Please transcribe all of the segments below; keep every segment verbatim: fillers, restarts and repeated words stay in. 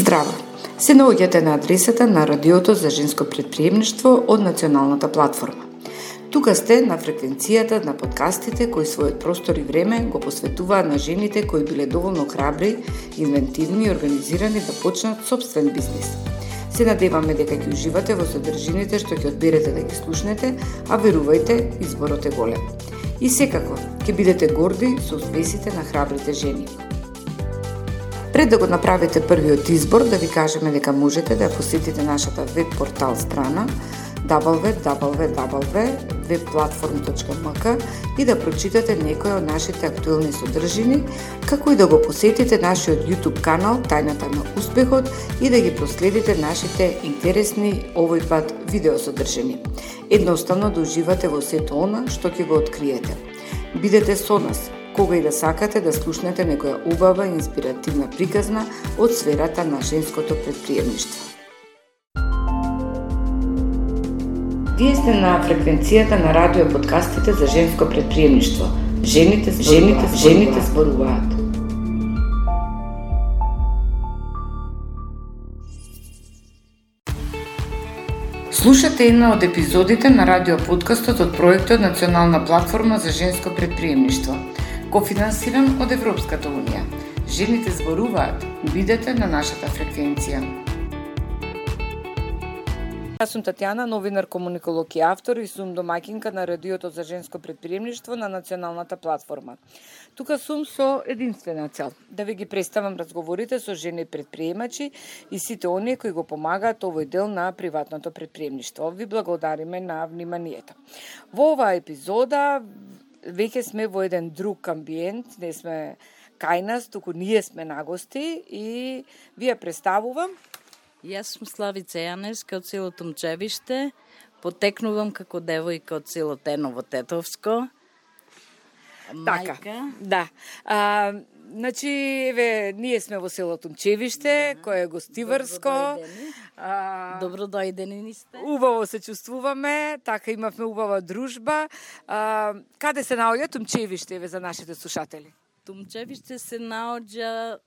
Здраво! Се наоѓате на адресата на Радиото за женско претприемништво од Националната платформа. Тука сте на фреквенцијата на подкастите кои својот простор и време го посветуваат на жените кои биле доволно храбри, инвентивни и организирани да почнат собствен бизнис. Се надеваме дека ќе уживате во содржините што ќе одберете да ги слушнете, а верувајте, изборот е голем. И секако, ќе бидете горди со успесите на храбрите жени. Пред да го направите првиот избор, да ви кажеме дека можете да посетите нашата веб портал страна дабл ю дабл ю дабл ю точка веб платформ точка ем ка и да прочитате некои од нашите актуелни содржини, како и да го посетите нашиот YouTube канал Тајната на успехот и да ги проследите нашите интересни овој пат видеосодржини. Едноставно да уживате во сето она што ќе го откриете. Бидете со нас кога и да сакате да слушнете некоја убава и инспиративна приказна од сферата на женското претприемништво. Вие сте на фреквенцијата на радио подкастите за женско претприемништво. Жените, жените, жените зборуваат. Слушате една од епизодите на радио подкастот од проектот Национална платформа за женско претприемништво, кофинансиран од Европската унија. Жените зборуваат. Бидете на нашата фреквенција. Јас сум Татјана, новинар, комуниколог и автор и сум домаќинка на Радиото за женско претприемништво на Националната платформа. Тука сум со единствена цел, да ви ги представам разговорите со жени предприемачи и сите оние кои го помагаат овој дел на приватното претприемништво. Ви благодариме на вниманието. Во оваа епизода веќе сме во еден друг амбиент, не сме кај нас, туку ние сме на гости и ви ја представувам. Јас сум Славица Јаневска од село Тумчевиште, потекнувам како девојка од село Теново Тетовско. Така, Мајка. да. А, значи, еве, ние сме во село Тумчевиште, да, кое е гостиварско. А, Добродојдени ни сте. Убаво се чувствуваме, така имавме убава дружба. А, каде се наоѓа Тумчевиште, еве, за нашите слушатели? Тумчевиште се наоѓа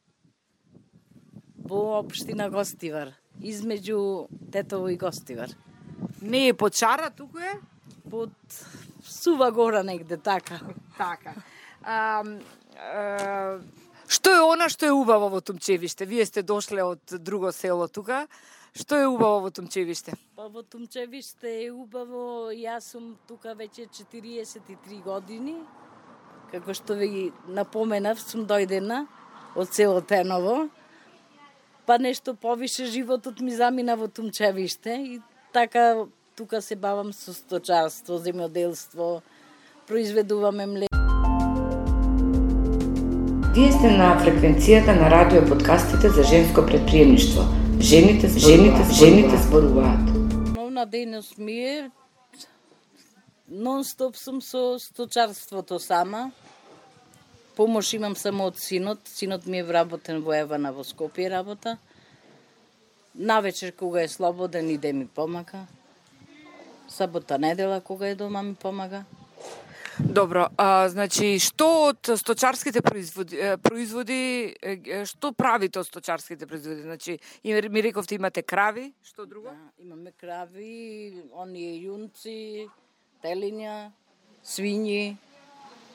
во општина Гостивар, измеѓу Тетово и Гостивар. Не е под Шара, туку е? Под Сува гора негде, така. Така. А, а, што е она што е убаво во Тумчевиште? Вие сте дошле од друго село тука. Што е убаво во Тумчевиште? Па во Тумчевиште е убаво, јас сум тука веќе четириесет и три години. Како што ви напоменав, сум дојдена од село Теново. Па нешто повише животот ми замина во Тумчевиште и така тука се бавам со сточарство, земјоделство, произведуваме млеко. Вие сте на фреквенцијата на радио подкастите за женско претприемништво. Жените, жените, жените зборуваат. Основна дејност ми е нон-стоп сум со сточарството сама. Помош имам само од синот. Синот ми е вработен во Евана, во Скопје работа. Навечер кога е слободен иде ми помага. Сабота, недела кога е дома ми помага. Добро, а, значи, што од сточарските производи, производи што правите од сточарските производи? Значи, ми рековте имате крави, што друго? Да, имаме крави, оние јунци, телиња, свињи,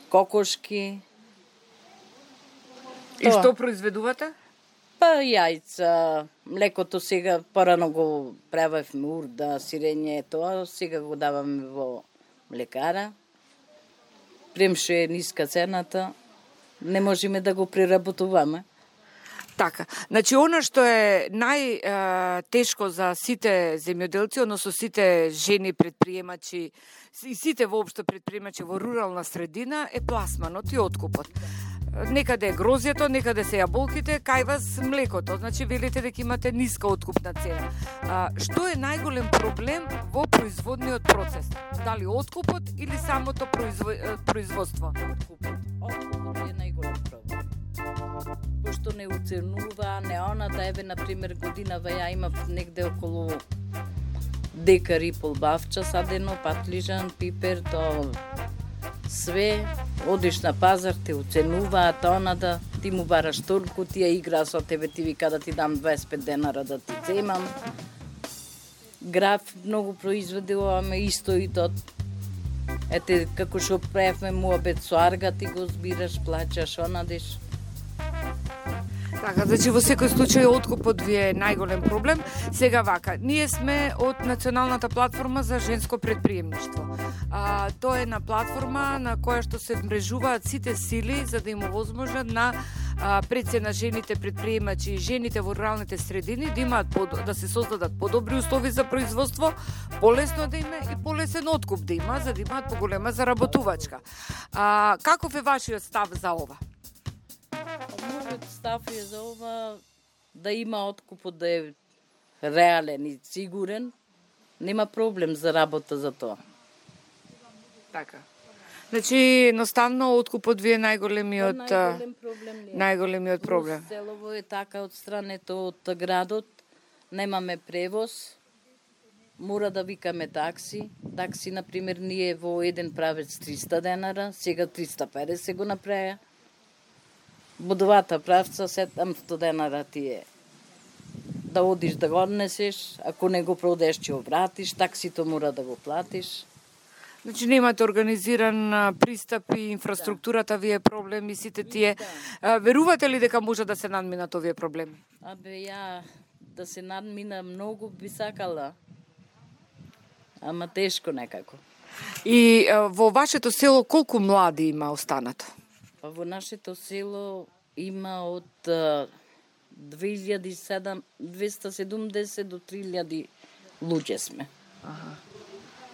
кокошки. И што произведувате? Па јајца, млекото сега порано го правевме урда, сирење, тоа, сега го даваме во млекара. Премше е ниска цената, не можеме да го преработуваме. Така, значи она што е најтешко за сите земјоделци, односно сите жени предприемачи и сите воопшто предприемачи во рурална средина е пласманот и откупот. Некаде е грозјето, некаде се јаболките, кај вас млекото. Значи, велите дека имате ниска откупна цена. А, што е најголем проблем во производниот процес? Дали откупот или самото произво... производство? Откупот. Откупот е најголем проблем. Пошто не уценува, не она да еве, например, годинава ја имав негде околу декар и пол бавча садено, патлижан, пипер, то све Одиш на пазар, те оценуваат, она да ти му бараш толку, тие игра со тебе, ти вика да ти дам дваесет и пет денара да ти земам. Граф многу произведе оваме исто и тот. Ете, како што правевме муабет со арга, ти го збираш, плачаш, онадеш. Така, значи во секој случај откупот ви е најголем проблем. Сега вака, ние сме од Националната платформа за женско предприемништво. А, тоа е на платформа на која што се вмрежуваат сите сили за да им овозможат на а, пред се на жените предприемачи и жените во руралните средини да имаат под, да се создадат подобри услови за производство, полесно да име и полесен откуп да има, за да имаат поголема заработувачка. А, каков е вашиот став за ова? Мојот став е за ова да има откупот да е реален и сигурен. Нема проблем за работа за тоа. Така. Значи, едноставно, откупот ви е најголемиот, најголем проблем. најголемиот проблем. Селово е така од странето од градот. Немаме превоз. Мора да викаме такси. Такси, например, ние во еден правец триста денара, сега триста и педесет го направија. Во двата правца седумстотини денара ти е да одиш да го однесеш, ако не го продеш ќе го вратиш, таксито мора да го платиш. Значи немате организиран пристап и инфраструктурата ви е проблем и сите тие. Да. Верувате ли дека може да се надминат овие проблеми? Абе, ја да се надмина многу би сакала, ама тешко некако. И во вашето село колку млади има останато? Во нашето село има од две илјади двеста и седумдесет до три илјади луѓе сме. Аха.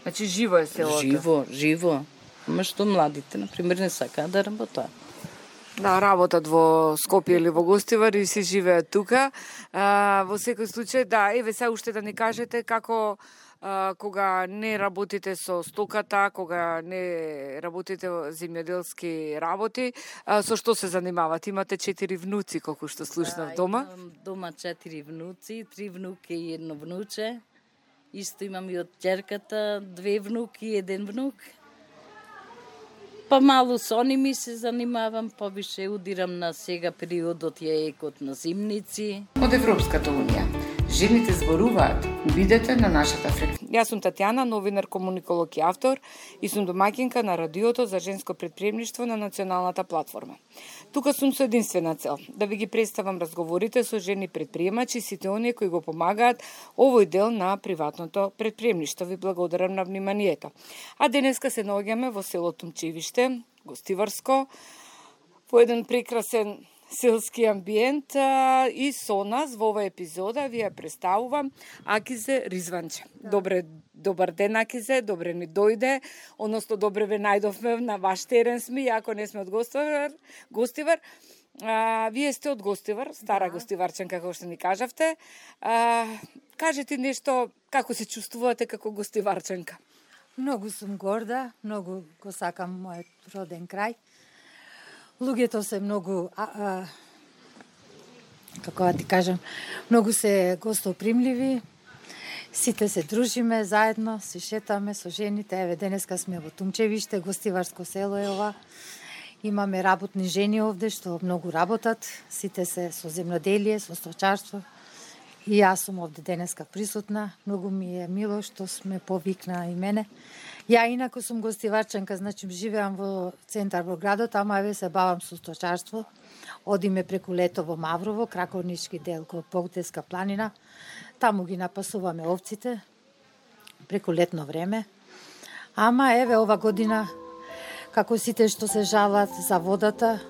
Значи живо е селото? Живо, живо. Ама што младите, например, не сакаат да работат. Да, работат во Скопје или во Гостивар и се живеат тука. А, во секој случај, да, еве се уште да ни кажете како а, кога не работите со стоката, кога не работите во земјоделски работи, а, со што се занимавате? Имате четири внуци, колку што слушнав да, дома? Имам дома четири внуци, три внуки и едно внуче. Исто имам и од ќерката, две внуки и еден внук. Па малу со ними се занимавам, повише удирам на сега периодот ја екот на зимници. Од Европската Унија. Жените зборуваат. Бидете на нашата фреквенција. Јас сум Татјана, новинар, комуниколог и автор и сум домаќинка на радиото за женско предприемништво на Националната платформа. Тука сум со единствена цел да ви ги представам разговорите со жени предприемачи и сите оние кои го помагаат овој дел на приватното предприемништво. Ви благодарам на вниманието. А денеска се наоѓаме во село Тумчевиште, Гостиварско, во еден прекрасен селски амбиент а, и со нас во оваа епизода ви ја представувам Акизе Ризванче. Да. Добре, добар ден, Акизе, добре ни дојде, односно добре ве најдовме на ваш терен сме, иако не сме од Гостивар. Гостивар. А, вие сте од Гостивар, стара да. Гостиварчанка, како што ни кажавте. А, кажете нешто, како се чувствувате како гостиварчанка? Многу сум горда, многу го сакам мојот роден крај. Луѓето се многу, а, а, како да ти кажам, многу се гостопримливи, сите се дружиме заедно, се шетаме со жените. Еве, денеска сме во Тумчевиште, Гостиварско село е ова. Имаме работни жени овде што многу работат, сите се со земјоделие, со сточарство. И јас сум овде денеска присутна. Многу ми е мило што сме повикна и мене. Ја инако сум гостиварчанка, значи живеам во центар во градот, ама еве се бавам со сточарство. Одиме преку лето во Маврово, Краковнички дел кон Богдеска планина. Таму ги напасуваме овците преку летно време. Ама еве ова година, како сите што се жалат за водата,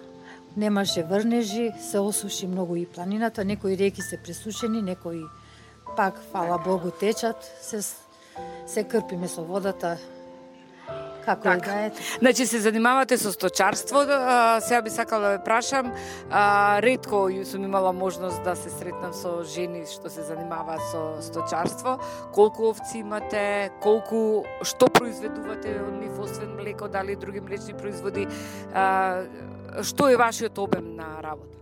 немаше врнежи, се осуши многу и планината, некои реки се пресушени, некои пак, фала Богу, течат, се, се крпиме со водата, како така. Е да ете. Значи се занимавате со сточарство, сега би сакала да ве прашам, а, ретко сум имала можност да се сретнам со жени што се занимаваат со сточарство. Колку овци имате, колку, што произведувате од нив, освен млеко, дали други млечни производи, а, што е вашиот обем на работа?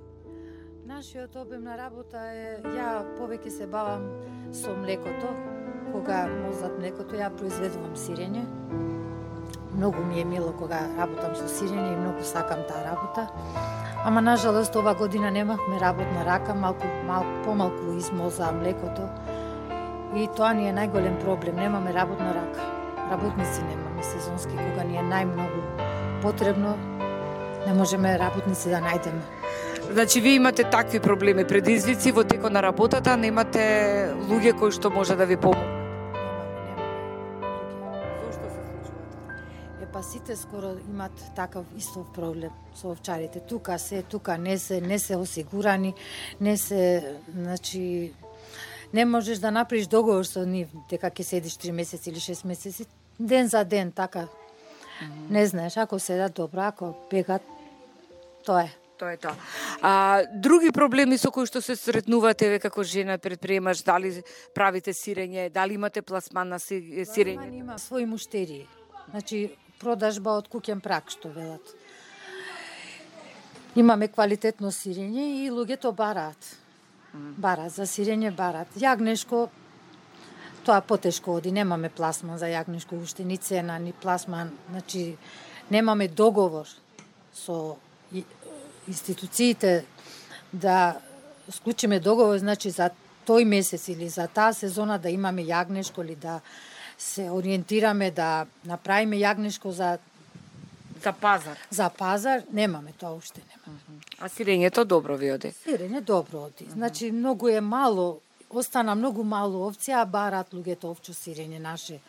Нашиот обем на работа е, ја повеќе се бавам со млекото, кога мозат млекото, ја произведувам сирење. многу ми е мило кога работам со сирење и многу сакам таа работа. Ама нажалост ова година немавме работна рака, малку малку помалку измолза млекото. И тоа ни е најголем проблем, немаме работна рака. Работници немаме сезонски, кога ни е најмногу потребно, не можеме работници да најдеме. Значи, вие имате такви проблеми, предизвици во текот на работата, немате луѓе кои што може да ви помогнат? Зошто се случува така? Е, па сите скоро имат такав истов проблем со овчарите. Тука се, тука не се, не се осигурани, не се, значи, не можеш да направиш договор со нив дека ќе седиш три месеци или шест месеци, ден за ден, така. Mm-hmm. Не знаеш, ако седат добро, ако бегат, тоа е. Тоа е тоа. А, други проблеми со кои што се сретнувате ве како жена предприемач, дали правите сирење, дали имате пласман на сирење? Пласман има своји муштерии. Значи, продажба од куќен прак, што велат. Имаме квалитетно сирење и луѓето бараат. Бараат за сирење, бараат. Јагнешко, тоа потешко оди, немаме пласман за јагнешко, уште ни цена, ни пласман, значи немаме договор со институциите да склучиме договор, значи за тој месец или за таа сезона да имаме јагнешко или да се ориентираме да направиме јагнешко за за пазар. За пазар немаме, тоа уште немаме. А сирењето добро ви оди? Сирење добро оди. Значи многу е мало, остана многу мало овци, а барат луѓето овчо сирење наше.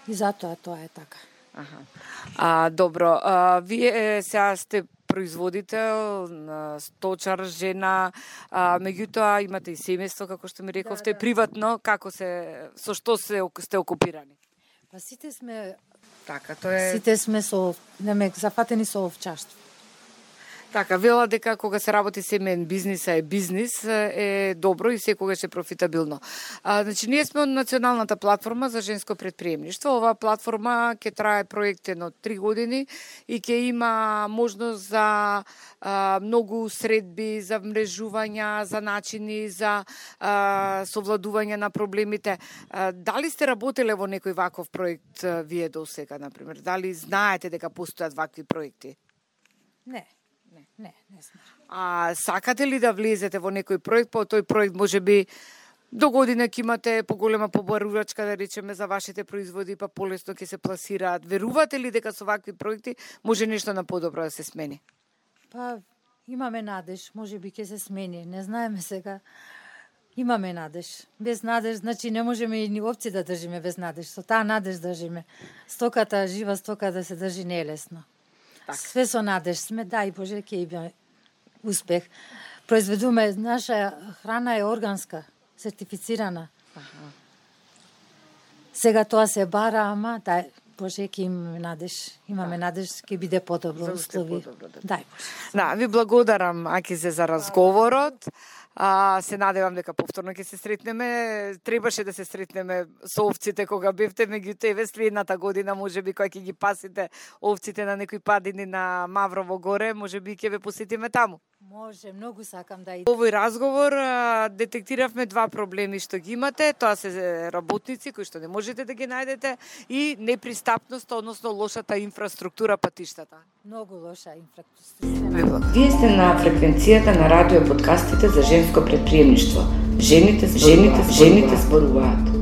И затоа тоа е така. Аха. А, добро, а, вие сега сте производител, сточар, жена, а, меѓутоа имате и семејство, како што ми рековте, да, да. Приватно, како се, со што се, сте окупирани? Па сите сме, така, тоа е... сите сме со, неме, зафатени со овчарство. Така, вела дека кога се работи семеен бизнис, е бизнис, е добро и секогаш е профитабилно. А, значи, ние сме од Националната платформа за женско предприемништво. Оваа платформа ќе трае проектено три години и ќе има можност за а, многу средби, за мрежувања, за начини, за а, совладување на проблемите. А, дали сте работеле во некој ваков проект а, вие до сега, например? Дали знаете дека постојат вакви проекти? Не. Не, не знам. А сакате ли да влезете во некој проект, по тој проект може би до година ќе имате поголема побарувачка, да речеме, за вашите производи, па полесно ќе се пласираат. Верувате ли дека со вакви проекти може нешто на подобро да се смени? Па имаме надеж, може би ќе се смени, не знаеме сега. Имаме надеж. Без надеж, значи не можеме и ни овци да држиме без надеж. Со таа надеж држиме. Стоката, жива стока да се држи не е лесно. Так. Све со надеж сме, дај Боже, ќе има успех. Произведуваме, наша храна е органска, сертифицирана. Аха. Сега тоа се бара, ама дај Боже, ќе имаме надеж. Имаме да. Надеж, ќе биде подобро услови. Да. Дај Боже. Да, ви благодарам, Акизе, за разговорот. А, се надевам дека повторно ќе се сретнеме. Требаше да се сретнеме со овците кога бевте, меѓутоа еве следната година можеби кога ќе ги пасите овците на некои падини на Маврово горе, можеби ќе ве посетиме таму. Може, многу сакам да идам. Овој разговор а, детектиравме два проблеми што ги имате, тоа се работници кои што не можете да ги најдете и непристапност, односно лошата инфраструктура патиштата. Многу лоша инфраструктура. Вие сте на фреквенцијата на радио подкастите за женско предприемништво. Жените, жените, жените зборуваат.